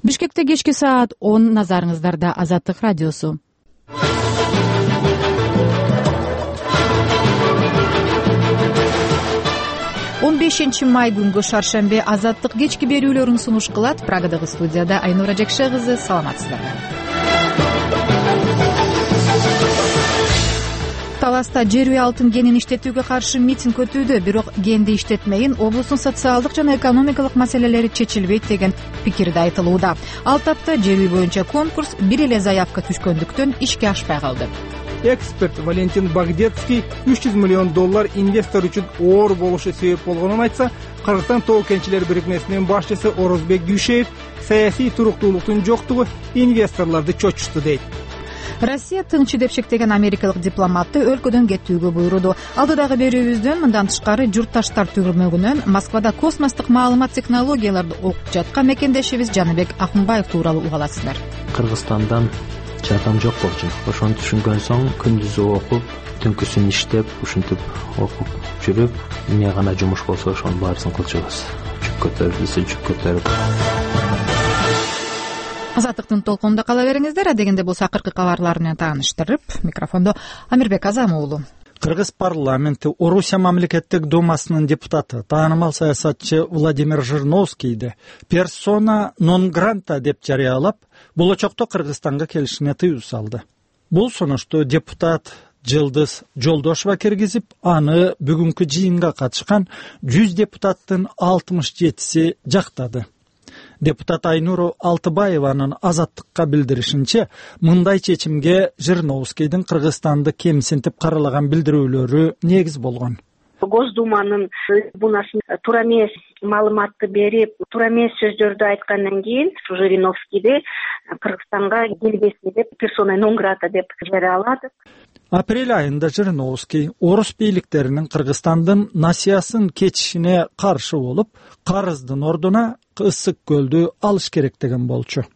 Бишкекте кечки саат 10, назарыңыздарда Азаттык радиосу. Май күнгү шаршембе Азаттык кечки берүүлөрүн сунуш кылат. Прагадагы студияда Айнура Жекше кызы, саламатсыздарбы? Таласта жер алтын генин иштетүүгө каршы митинг өтүүдө, бирок генди иштетмейин облустун социалдык жана экономикалык маселелери чечилбейт деген пикирде айтылууда. Ал тапта жер боюнча конкурс бир эле заявка түшкөндүктөн ишке ашпай калды. Эксперт Валентин Багдетский $300 миллион инвестор үчүн оор болушу себеп болгонун айтса, Кыргызстан тоо кенчилер бирикмесинин башчысы Орозбек Гүйшеев саясий туруктуулуктун жоктугу инвесторлорду чочушту дейт. Россия тынчы деп шектеген америкалык дипломатты өлкөдөн кетүүгө буйруду. Алдыдагы берүүбүздөн мындан тышкары журтташтар түрмөгүнөн Москвада космостук маалымат технологияларды окуп жаткан мекендешибиз Жаныбек Акунбаев тууралуу уга аласыздар. Кыргызстандан жардам жок болчу. Ошону түшүнгөн соң күндүзү окуп, түнкүсүн иштеп, ушинтип окуп жүрүп, эмне гана жумуш болсо ошонун баарысын кылчубуз. Жүк көтөрүп. Азаттыктын толкунунда кала бериңиздер. Дегенде болсо акыркы кабарлар менен тааныштырып, микрофондо Амирбек Азам уулу. Кыргыз парламенти Орусия мамлекеттик думасынын депутаты, таанымал саясатчы Владимир Жириновскийди персона нон гранта деп жарыялап, болочокто Кыргызстанга келишине тыюу салды. Бул сунушту депутат Жылдыз Жолдошова киргизип, аны бүгүнкү жыйынга катышкан 100 депутаттын 67си жактады. Депутат Айнура Алтыбаеванын Азаттыкка билдиришинче, мындай чечимге Жириновскийдин Кыргызстанды кемсинтип каралаган билдирүүлөрү негиз болгон. Госдуманын трибунасын туура эмес маалыматты берип, туура эмес сөздөрдү айткандан кийин Жириновскийди Кыргызстанга келбесин деп персона нон грата деп жарыяладык. Апрель айында Жириновский орус бийликтеринин Кыргызстандын насыясын кетишине каршы болуп, карыздын ордуна Ысык көлдү алыш керек деген болчу.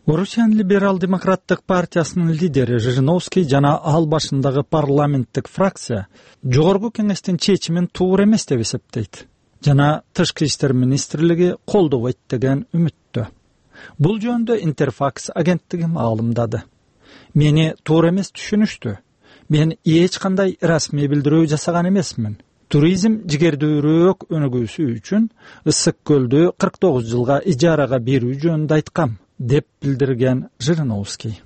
Орусиянын либерал-демократтык партиясынын лидери Жириновский жана ал башындагы парламенттик фракция жогорку кеңештин чечимин туура эмес деп эсептейт жана Тышкы иштер министрлиги колдобойт деген үмүттө. Бул жөнүндө Интерфакс агенттиги маалымдады. Мени туура эмес түшүнүштү. Мен эч кандай расмий билдирүү жасаган эмесмин. Туризм жигердүүрөөк өнүгүүсү үчүн Ысык көлдү 49 жылга ижарага берүү жөнүндө айткам, деп билдирген Жириновский.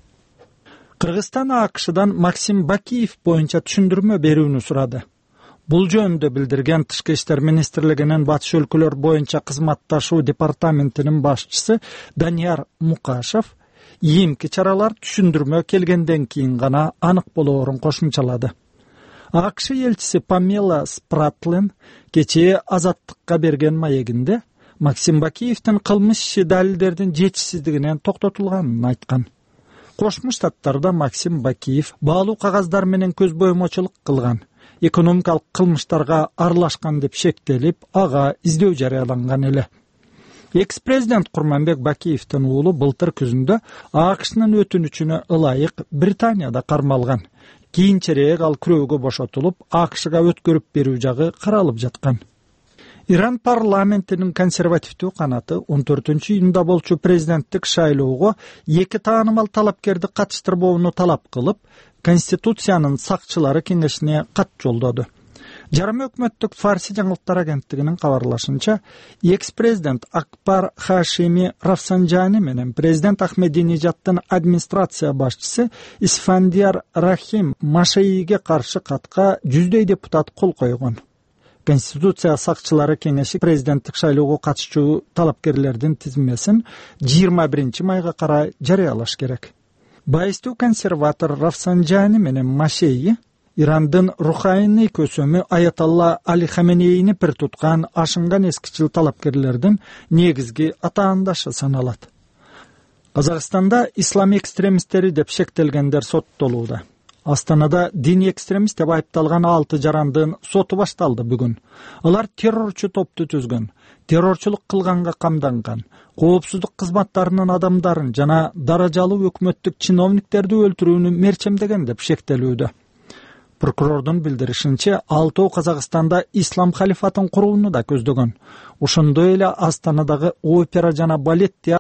Кыргызстан АКШдан Максим Бакиев боюнча түшүндүрмө берүүнү сурады. Бул жөнүндө билдирген Тышкы иштер министрлигинин батыш өлкөлөр боюнча кызматташуу департаментинин башчысы Данияр Мукашев ийимки чаралар түшүндүрмө келгенден кийин гана анык болоорун кошумчалады. АКШ элчиси Памела Спратлин кечээ Азаттыкка берген маегинде Максим Бакиевдин кылмыш иши далилдердин жетишсиздигинен токтотулганын айткан. Кошмо Штаттарда Максим Бакиев баалуу кагаздар менен көз боймочулук кылган, экономикалык кылмыштарга аралашкан деп шектелип, ага издөө жарыяланган эле. Экс-президент Курманбек Бакиевдин уулу былтыр күзүндө АКШнын өтүнүчүнө ылайык Британияда кармалган. Кийинчерээк ал күрөөгө бошотулуп, АКШга өткөрүп берүү жагы каралып жаткан. Иран парламентинин консервативдүү канаты 14-июнда болчу президенттик шайлоого 2 таанымал талапкерди катыштырбоону талап кылып, Конституциянын сакчылары кеңешине кат жолдоду. Жарым өкмөттүк Фарси жаңылыктар агенттигинин кабарлашынча, экс-президент Акбар Хашими Рафсанжани менен президент Ахмединежаддын администрация башчысы Исфандияр Рахим Машейиге каршы катка 100 депутат кол койгон. Конституция сакчылары кеңеши президенттик шайлоого катышчу талапкерлердин тизмесин 21 майга карай жарыялаш керек. Байыстуу консерватор Рафсанжани менен Машейи Ирандын рухайный көсөмү Аятолла Али Хаменейни пир туткан ашынган эскичил талапкерлердин негизги атаандашы саналат. Казакстанда ислам экстремисттери деп шектелгендер соттолууда. Астанада дини экстремист деп айыпталган 6 жарандын соту башталды бүгүн. Алар террорчу топту түзгөн, террорчулук кылганга камданган, коопсуздук кызматтарынын адамдарын жана даражалуу өкмөттүк чиновниктерди өлтүрүүнү мерчемдеген деп шектелүүдө. Прокурордун билдиришинче, 6 Казакстанда ислам халифатын курууну да көздөгөн. Ошондой эле Астанадагы опера жана балет